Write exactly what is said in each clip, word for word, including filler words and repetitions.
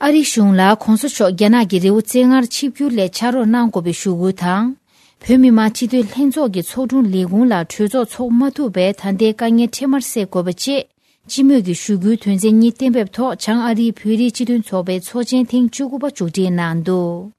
ཨ་རིའི་གཞུང་ལ་གོང་ས་མཆོག་རྒྱ་ནག་གི་རི་བོ་རྩེ་ལྔར་ཆིབས་བསྒྱུར་སླད་ཕྱག་རོགས་གནང་དགོས་པའི་ཞུ་སྐུལ་དང་། བོད་མི་མང་སྤྱི་འཐུས་ལྷན་ཚོགས་ཀྱི་ཚོགས་དྲུང་ལས་ཁུངས་ལ་གྲོས་ཚོགས་འཚོགས་མ་ཐུབ་པའི་ད་ལྟའི་དཀའ་ངལ་འཕྲལ་མར་སེལ་དགོས་པ་བཅས། སྤྱི་མོས་ཀྱི་ཞུ་སྐུལ་དོན་ཚན་གཉིས་གཏན་འབེབས་ཐོག་བྱང་ཨ་རིའི་བོད་རིགས་སྤྱི་མཐུན་ཚོགས་པའི་ཚོགས་ཆེན་ཐེངས་བཅུ་དགུ་པ་མཇུག་སྒྲིལ་གནང་འདུག་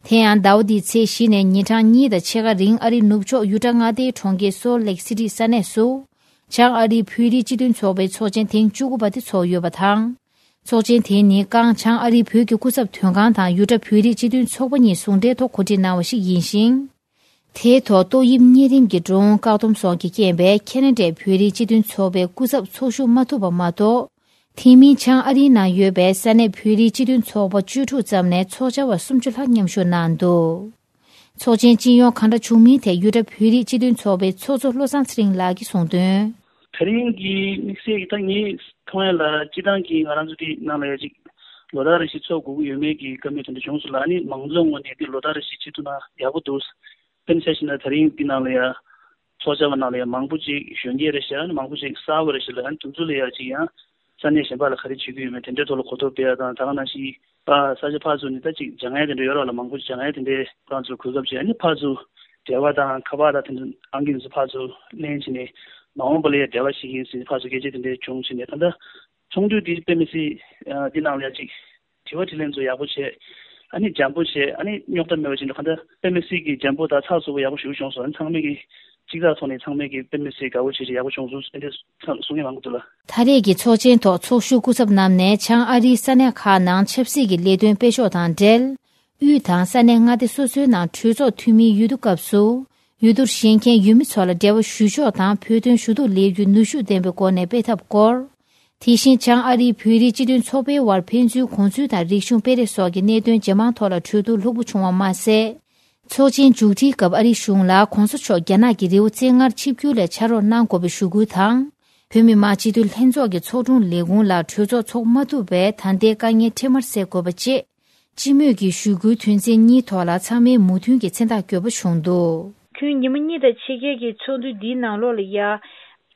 དེ་ཡང་ཟླ་བ་འདིའི་ཚེས་བཞི་ནས་ཉིན་གྲངས་གཉིས་དང་ཕྱེད་ཀ་རིང་ཨ་རིའི་ནུབ་ཕྱོགས་ཡུ་ཊ་མངའ་སྡེའི་གྲོང་ཁྱེར་སོལ་ལེག་སི་ཊི་ས་གནས་སུ། བྱང་ཨ་རིའི་བོད་རིགས་སྤྱི་མཐུན་ཚོགས་པའི་ཚོགས་ཆེན་ཐེངས་བཅུ་དགུ་པ་དེ་ཚོགས་ཡོད་པ་དང་། ཚོགས་ཆེན་དེ་ནི་ཀང་བྱང་ཨ་རིའི་བོད་ཀྱི་སྐུ་ཚབ་དོན་ཁང་དང་ཡུ་ཊ་བོད་རིགས་སྤྱི་མཐུན་ཚོགས་པ་གཉིས་ཟུང་འབྲེལ་ཐོག་གོ་སྒྲིག་གནང་བ་ཞིག་ཡིན་ཞིང་། དེའི་ཐོག་ཏོག་དབྱིབས་གཉན་རིམས་ཀྱི་འགྲོ་འོང་བཀག་སྡོམ་སོགས་ཀྱི་རྐྱེན་པས་ཁེ་ན་ཌའི་བོད་རིགས་སྤྱི་མཐུན་ཚོགས་པའི་སྐུ་ཚབ་ཚོགས་ཞུགས་མ་ཐུབ་པ་མ་གཏོགས། དེ་མིན་བྱང་ཨ་རིའི་ནང་ཡོད་པའི་ས་གནས་བོད་རིགས་སྤྱི་མཐུན་ཚོགས་པ་བཅུ་དྲུག་ཙམ་ནས་ཚོགས་བཅར་བ་སུམ་ཅུ་ལྷག་མཉམ་ཞུགས་གནང་འདུག་ཚོགས་ཆེན་སྤྱི་ཡོངས་གང་འདྲ་བྱུང་མིན་ཐད་ཡུ་ཊ་བོད་རིགས་སྤྱི་མཐུན་ཚོགས་པའི་ཚོགས་གཙོ་བློ་བཟང་ཚེ་རིང་ལགས་ཀྱིས་གསུངས་དོན། ད་རིང་གི་དམིགས་བསལ་གྱི་ད་ངས་མཐོང་ཡ་ལ་སྤྱི་བཏང་གི་ང་རང་ཚོ་དེ་ནང་ལ་ཡ་ཅིག་ལོ་ལྟར་རེ་བཞིན་ཚོགས་དགོས་ཀྱི་ཡོད་མེད་ཀྱི་བཀའ་མོལ་དེ་འདྲ་བྱུང་སོང་ལ། ཨ་ནི་མང་ཚོགས་ངོས་ནས་དེ་ལོ་ལྟར་རེ་བཞིན་བྱེད་ཐུབ་ན་ཡག་པོ་འདུག་དཔེར་ན་ཆ་བཞག་ན་ད་རིང་འདི་ནང་ལ་ཡ་ཚོགས་བཅར་བ་ནང་ལ་ཡ་མང་པོ་ཅིག་གཞོན་སྐྱེས་རེད་ཤག་ཨ་ནི་མང་པོ་ཅིག་གསར་པ་རེད་ཤག་ལ། ཨ་ནི་དེ་ཚོ་ལ་ཡ་ཅིག་ཡང་ས་གནས་གཞན་པ་ལ་ག་རེ་བྱེད་ཀྱི་ཡོད་མེད་དེ་འདྲའི་ཐོག་ལ་གོ་རྟོགས་སྤེལ་ཡ་དང་། ད་ག་ནང་བཞིན་ཕ་ས་ཆ་ཕར་ཚུར་ནས་ད་ཅིག་སྦྱང་ཡ་དེ་འདྲ་ཡོད་ར་ལ། མང་པོ་ཅིག་སྦྱང་ཡ་དེ་འདྲའི་ཁོ་རང་ཚོར་གོ་སྐབས་ཅིག་ཨ་ནི་ཕར་ཚུར་འབྲེལ་བ་དང་ཁ་པར་དང་དེ་འདྲ་ཨང་ཀི་དེ་ཚོ་ཕར་ཚུར་ལེན་བྱས་ནས་མ་འོངས་པ་ལ་ཡ་འབྲེལ་བ་བྱེད་ཀྱི་ཡིན་ཟེར་ནས་ཕར་ཚུར་སྐད་ཆ་དེ་འདྲ་བྱུང་བྱས་ནས། ད་ལྟ་ཚོགས་འདུ་འདི་དཔེ་མི་སྲིད་ཨ་འདི་ནང་ལ་ཡ་ཅིག་དྲི་བ་དྲིས་ལན་ཚོ་ཡག་པོ་བྱས། ཨ་ནི་འཇམ་པོ་བྱས། ཨ་ནི་རྙོག་དྲ་མེད་པ་བྱས་ནས་གང་ལྟར་དཔེ་མི་སྲིད་ཀྱི་འཇམ་པོ་དང་ཚགས་ཚུད་པོ་ཡག་པོ་ཞེ་པོ་བྱུང་སོང་། ཨ་ནི་ཚང་མས་ཀྱི་གཅིག་ཐག་ཐོག་ནས་ཚང་མས་ཀྱི་དཔེ་མི་སྲིད་དགའ་པོ་བྱས་བྱས་ཡག་པོ་བྱུང་སོང་། ཨ་འདི་ཚང་གསུང་མཁན་མང་པོ་འདུག་ལ། ད་རེས་ཀྱི་ཚོགས་ཆེན་ཐོག་ཚོགས་ཞུགས་སྐུ་ཚབ་རྣམས་ནས་བྱང་ཨ་རིའི་ས་གནས་ཁག་ནང་ཆབ་སྲིད་ཀྱི་ལས་དོན་སྤེལ་ཕྱོགས་དང་འབྲེལ། དབུས་དང་ས་གནས་མངའ་སྡེ་སོ་སོའི་ནང་གྲོས་ཚོགས་འཐུས་མིའི་འོས་བསྡུ་སྐབས་སུ། འོས་བསྡུར་བཞེངས་མཁན་ཡུལ་མི་ཚོ་ལ་འབྲེལ་བ་ཞུ་ཕྱོགས་དང་བོད་དོན་ཞུ་གཏུག་ལས་འགུལ་ནུས་ཤུགས་ལྡན་པའི་སྒོ་ནས་སྤེལ་ཐབས་སྐོར། དེ་བཞིན་བྱང་ཨ་རིའི་བོད་རིགས་སྤྱི་མཐུན་ཚོགས་པའི་དབར་ཕན་ཚུན་གོ་མཚོན་དང་རིག་གཞུང་སྤེལ་རེས་སོགས་ཀྱི་གནད་དོན་ཇེ་མང་ཐོག་ལ་གྲོས་བསྡུར་ལྷུག་པོ་བྱུང་བ་མ་ཟད། ཚོགས་ཆེན་མཇུག་སྒྲིལ་སྐབས་ཨ་རིའི་གཞུང་ལ་གོང་ས་མཆོག་རྒྱ་ནག་གི་རི་བོ་རྩེ་ལྔར་ཆིབས་བསྒྱུར་སླད་ཕྱག་རོགས་གནང་དགོས་པའི་ཞུ་སྐུལ་དང་། བོད་མི་མང་སྤྱི་འཐུས་ལྷན་ཚོགས་ཀྱི་ཚོགས་དྲུང་ལས་ཁུངས་ལ་གྲོས་ཚོགས་འཚོགས་མ་ཐུབ་པའི་ད་ལྟའི་དཀའ་ངལ་འཕྲལ་མར་སེལ་དགོས་པ་བཅས། སྤྱི་མོས་ཀྱི་ཞུ་སྐུལ་དོན་ཚན་གཉིས་ཐོག་ལ་ཚང་མས་མོས་མཐུན་གྱི་མཚན་རྟགས་བཀོད་པ་བྱུང་འདུག་ཁྱོན་ཉི་མ་གཉིས་དང་ཕྱེད་ཀའི་གི་ཚོགས་འདུ་འདིའི་ནང་ལོགས་ལ་ཡ།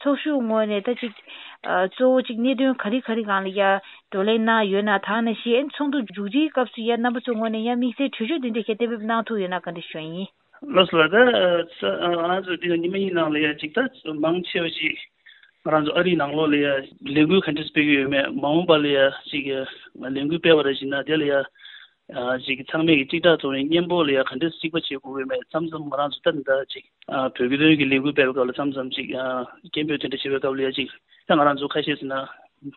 ཚོགས་ཞུགས་ངོས་ནས་ད་ཅིག་ཨ། གཙོ་བོ་ཅིག་གནད་དོན་ག་རེ་ག་རེ་སྒང་ལ་ཡ་བགྲོ་གླེང་གནང་ཡོད་ན། ད་ནང་བཞིན་ཚོགས་འདུ་མཇུག་སྒྲིལ་སྐབས་སུ་ཡ་རྣམ་པ་ཚོའི་ངོས་ནས་ཡ་དམིགས་བསལ་གྲོས་ཆོད་དེ་འདྲ་ཞིག་གཏན་འབེབས་གནང་ཐུབ་ཡོད་ན་བཀའ་འདྲི་ཞུ་ཡ་ཡིན། ལགས་སོ་ལགས། ད་ང་ཚོ་འདི་ནི་ཉི་མ་གཉིས་ནང་ལ་ཡ་ཅིག་ད་མང་ཆེ་བ་ཞིག་ང་རང་ཚོ་ཨ་རིའི་ནང་ལོགས་ལ་ཡ་ལས་འགུལ་ག་འདྲ་སྤེལ་གྱི་ཡོད་མེད། མ་འོངས་པ་ལ་ཡ་ཅིག་ལས་འགུལ་སྤེལ་བ་རེ་བཞིན་ན་དེ་ལ་ཡ། ཨ། ཅིག་ཚང་མས་ཀྱི་གཅིག་ཐག་ཐོག་ནས་མཉམ་པོ་ལ་ཡ་ག་འདྲས་གཅིག་པ་བྱེད་དགོས་ཀྱི་མེད། མཚམས་མཚམས་ང་རང་ཚོ་ད་ནི་ད་ཅིག་ཨ། བོད་སྐད་དོན་གྱི་ལས་འགུལ་སྤེལ་བའི་སྐབས་ལ་མཚམས་མཚམས་ཅིག་ཨ། སྐད་འབོད་དེ་འདྲ་བྱེད་པའི་སྐབས་ལ་ཡ་ཅིག་ད་ང་རང་ཚོ་ཁ་ཤས་ཟེར་ན་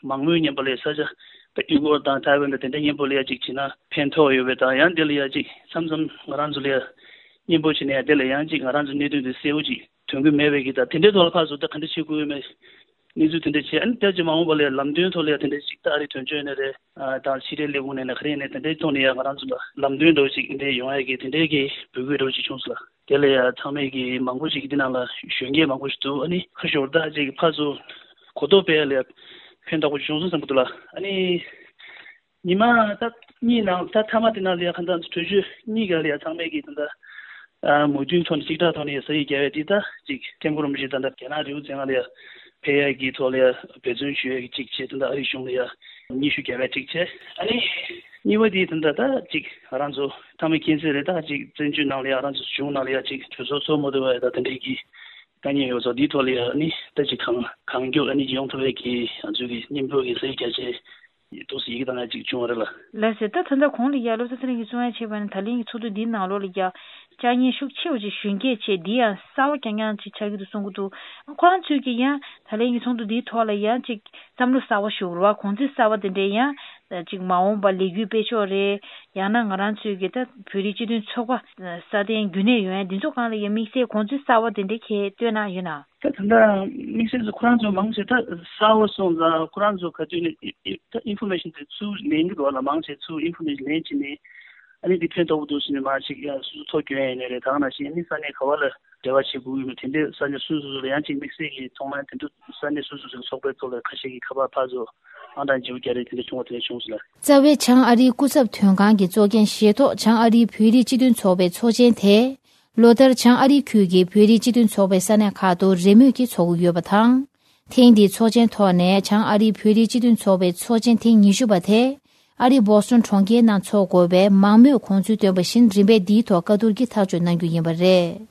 མང་མོས་མཉམ་པོ་ལ་ཡ་ས་ཆ་ད་ཡུ་གུར་དང་ཐའེ་ཝན་དང་དེ་འདྲ་མཉམ་པོ་ལ་ཡ་ཅིག་བྱེད་ན་ཕན་ཐོགས་ཡོད་པའི་དང་། ཡང་དེ་ལ་ཡ་ཅིག་མཚམས་མཚམས་ང་རང་ཚོ་ལ་ཡ་མཉམ་པོ་བྱེད་ནས་ཡ་དེ་ལ་ཡང་ཅིག་ང་རང་ཚོ་གནད་དོན་དེ་གསལ་བོ་ཅིག་ཐོན་གྱི་མེད་པའི་གི་ད་དེ་འདྲའི་ཐོག་ལ་ཕར་ཚུར་ད་ག་འདྲ་བྱེད་དགོས་ཀྱི་མེད། གནས་ཚུལ་དེ་འདྲ་བྱས། ཨ་ནི་ད་ཅིག་མ་འོངས་པ་ལ་ལམ་སྟོན་ཐོག་ལ་ཡང་དེ་འདྲ་ཞིག་ད་ཨ་རི་དོན་གཅོད་ཡིན་ན་རེད། ཨ། དང་ཕྱི་དྲིལ་ལས་ཁུངས་ནས་ན་ག་རེ་ཡིན་ནའི་དེ་འདྲའི་ཐོག་ནས་ཡང་ང་རང་ཚོ་ལ་ལམ་སྟོན་འདྲ་བོ་ཞིག་འདྲ་ཡོང་ཡ་གི་དེ་འདྲའི་གི་འབོད་སྐུལ་འདྲ་བོ་ཞིག་བྱུང་སོང་ལ། དེ་ལ་ཡང་ཚང་མས་གི་མང་པོ་ཞིག་འདི་ནང་ལ་གཞོན་སྐྱེས་མང་པོ་ཞིག་འདུག་ཨ་ནི་ཁ་ཤོར་ད་ཅིག་ཕར་ཚུར་གོ་རྟོགས་སྤེལ་ཡ་ལ་ཕན་ཐོགས་པོ་བྱུང་སོང་བསམ་གི་འདུག་ལ། ཨ་ནི། ཉི་མ་ད་གཉིས་ནང་ད་མཐའ་མ་དེ་ནང་ལ་ཡ་ག་འདྲ་གྲོས་ཆོད་གཉིས་ཀ་ལ་ཡ་ཚང་མས་ཀྱི་ད་ལྟ་མོས་མཐུན་ཐོག་ནས་གཅིག་ཐག་ཐོག་ནས་ས་ཡིག་བརྒྱབ་ཡ་དེ་ད་ཅིག་ཐེམ་སྐོར་རིན་པོ་ཆེ་ད་ལྟ་རྒྱ་ནག་རི་བོ་རྩེ་ལྔ་ལ་ཡ་ཕེབས་ཡ་གི་ཐོག་ལ་ཡ་འབད་བརྩོན་ཞུ་ཡ་གི་གཅིག་བྱས། ད་ལྟ་ཨ་རིའི་གཞུང་ལ་ཡ་སྙན་ཞུ་བརྒྱབ་ཡ་གཅིག་བྱས། ཨ་ནི་གཉིས་པ་དེ་ད་ལྟ་ད་ཅིག་ང་རང་ཚོ་མཐའ་མ་མཁྱེན་གསལ་རེད། ད་ཅིག་བཙན་བྱོལ་ནང་ལ་ཡ་ང་རང་ཚོ་གཞུང་ནང་ལ་ཡ་ཅིག་གྲོས་ཚོགས་ཚོགས་མ་ཐུབ་པ་ཡ་ད་དེ་འདྲའི་གི་དཀའ་ངལ་ཡོད་ཙང་། འདིའི་ཐོག་ལ་ཡ་ཨ་ནི་ད་ཅིག་གང་གང་མགྱོགས་ཨ་ནི་ཡོང་ཐུབ་པའི་གི་ང་ཚོའི་གི་མཉམ་རུབ་ཀྱི་ས་ཡིག་རྒྱ་ཆེ་ཏོག་ཙམ་ཡི་གེ་བཏང་ཡ་ཅིག་བྱུང་བ་རེད་ལ། ལགས་སོ། ད་ད་ལྟ་གོང་ལ་ཡ་བློ་བཟང་ཚེ་རིང་གིས་གསུང་ཡ་བྱས་པ་ན་ད་ལན་གྱི་ཚོགས་འདུ་འདིའི་ནང་ལོགས་ལ་ཡ་བཅའ་ཉེས་ཤུགས་ཆེ་བ་ཅིག་གཞོན་སྐྱེས་བྱས་འདི་ཡང་གསར་བ་རྐྱང་རྐྱང་ཅིག་ཆགས་ཀྱི་འདུག་གསུང་གི་འདུག་ཁོ་རང་ཚོས་ཀྱི་ཡང་ད་ལན་གྱི་ཚོགས་འདུ་འདིའི་ཐོག་ལ་ཡང་ཅིག་བསམ་བློ་གསར་བ་ཞིག་རེད་བ། གོང་ཚད་གསར་བ་དེ་འདྲའི་ཡང་ཅིག་མ་འོངས་པ་ལས་འགུལ་སྤེལ་ཕྱོགས་རེད། ཡང་ན་ང་རང་ཚོའི་གི་ད་བོད་རིགས་སྤྱི་མཐུན་ཚོགས་པ་སྲ་བརྟན་རྒྱུན་གནས་ཡོང་ཡ་འདི་ཚོ་སྒང་ལ་ཡ་དམིགས་བསལ་གོང་ཚད་གསར་བ་དེ་འདྲ་ཁྱེད་སྟོན་གནང་ཡོད་ན། ད་ད་ལྟ་དམིགས་བསལ་དུ་ཁོ་རང་ཚོ་མང་ཆེ་ད་གསར་བ་སོང་ཙང་ཁོ་རང་ཚོ་ག་དུས་ནས་ད་ཨིན་ཕོར་མེ་ཤན་དེ་ཚུར་ལེན་གྱི་འདུག་ལ། མང་ཆེ་ཚུར་ཨིན་ཕོར་མེ་ཤན་ལེན་བྱས་ནས་ཨ་ནི་འདི་ཕན་ཐོགས་པོ་འདུག་ཟེར་ནས་མར་ཅིག་ཡ་སོ་སོ་ཐོ་སྐྱོན་ཡ་ཡིན་ནའི་རེད། ད་ག་ནང་བཞིན་ཨ་ནི་ས་གནས་ག་བ་ལ་འབྲེལ་བ་བྱེད་དགོས་ཀྱི་མེད། དེ་འདྲའི་ས་གནས་སོ་སོ་སོ་ལ་ཡང་ཅིག་དམིགས་བསལ་གྱི་ཐོག་མར་དེ་འདྲ་ས་གནས་སོ་སོ་སོ་ཚོགས་པའི་ཐོག་ལ་ཁ་ཤས་ཀྱིས་ཁ་པར་ཕར་ཚུར་ཨང་གྲངས་བརྗེ་པོ་རྒྱག་རེས་དེ་འདྲ་བྱུང་བ་དེ་འདྲ་བྱུང་སོང་ལ། རྩ་བའི་བྱང་ཨ་རིའི་སྐུ་ཚབ་དོན་ཁང་གི་གཙོ་འགན་བཞེས་ཐོག་བྱང་ཨ་རིའི་བོད་རིགས་སྤྱི་མཐུན་ཚོགས་པའི་ཚོགས་ཆེན་དེ། ལོ་ལྟར་བྱང་ཨ་རིའི་ཁུལ་གྱི་བོད་རིགས་སྤྱི་མཐུན་ཚོགས་པའི་ས་གནས་ཁག་ཏུ་རེས་མོས་ཀྱིས་ཚོགས་ཀྱི་ཡོད་པ་དང་། ཐེངས་འདིའི་ཚོགས་ཆེན་ཐོག་ནས་བྱང་ཨ་རིའི་བོད་རིགས་སྤྱི་མཐུན་ཚོགས་པའི་ཚོགས་ཆེན་ཐེངས་ཉི་ཤུ་པ་དེ། ཨ་རིའི་བོ་སི་ཊོན་གྲོང་ཁྱེར་ནང་འཚོགས་དགོས་པའི་མང་མོས་དགོངས་ཚུལ་བཏོན་པ་བཞིན། རིམ་པས་འདིའི་ཐོག་བཀའ་བསྡུར་གྱིས་ཐག་གཅོད་གནང་རྒྱུ་ཡིན་པ་རེད།